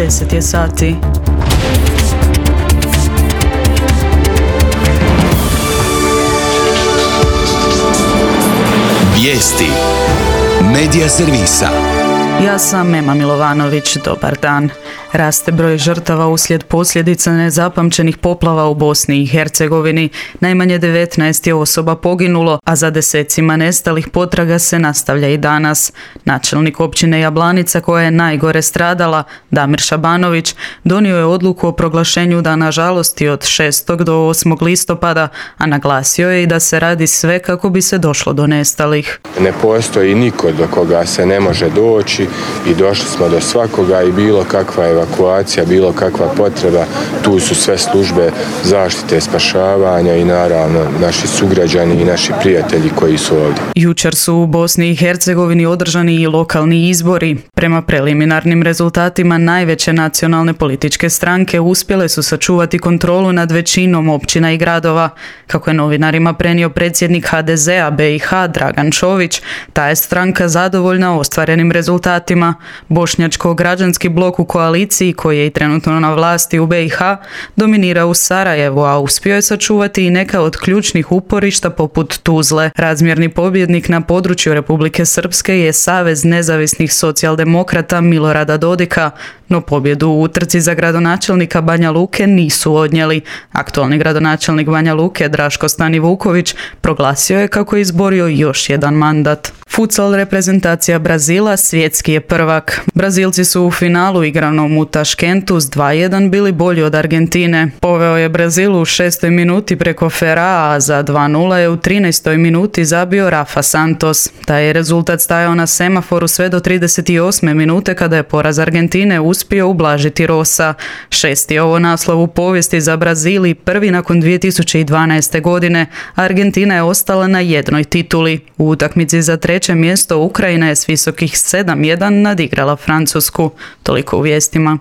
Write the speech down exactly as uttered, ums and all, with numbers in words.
deset je sati. Vijesti Medija servisa. Ja sam Mema Milovanović, dobar dan. Raste broj žrtava uslijed posljedica nezapamćenih poplava u Bosni i Hercegovini. Najmanje devetnaest je osoba poginulo, a za desecima nestalih potraga se nastavlja i danas. Načelnik općine Jablanica, koja je najgore stradala, Damir Šabanović, donio je odluku o proglašenju dana žalosti od šestog do osmog listopada, a naglasio je i da se radi sve kako bi se došlo do nestalih. Ne postoji niko do koga se ne može doći i došli smo do svakoga i bilo kakva evakuacija, bilo kakva potreba, tu su sve službe zaštite, spašavanja i naravno naši sugrađani i naši prijatelji koji su ovdje. Jučer su u Bosni i Hercegovini održani i lokalni izbori. Prema preliminarnim rezultatima najveće nacionalne političke stranke uspjele su sačuvati kontrolu nad većinom općina i gradova. Kako je novinarima prenio predsjednik ha de zea be i ha Dragan Čović, ta je stranka zadovoljna ostvarenim rezultatima. Bošnjačko-građanski blok u koaliciji, koji je i trenutno na vlasti u be i ha, dominira u Sarajevu, a uspio je sačuvati i neka od ključnih uporišta poput Tuzle. Razmjerni pobjednik na području Republike Srpske je Savez nezavisnih socijaldemokrata Milorada Dodika, no pobjedu u utrci za gradonačelnika Banja Luke nisu odnijeli. Aktualni gradonačelnik Banja Luke, Draško Stanivuković, proglasio je kako je izborio još jedan mandat. Futsal reprezentacija Brazila svjetski je prvak. Brazilci su u finalu igranom u Taškentu s dva jedan bili bolji od Argentine. Poveo je Brazil u šestoj minuti preko Ferraa, a za dva nula je u trinaestoj minuti zabio Rafa Santos. Taj je rezultat stajao na semaforu sve do trideset osme minute kada je poraz Argentine uspio ublažiti Rosa. Šesti je ovo naslov u povijesti za Brazil i prvi nakon dvije tisuće dvanaeste. godine. Argentina je ostala na jednoj tituli. U utakmici za treće mjesto Ukrajina je s visokih sedam jedan nadigrala Francusku. Toliko u vijestima.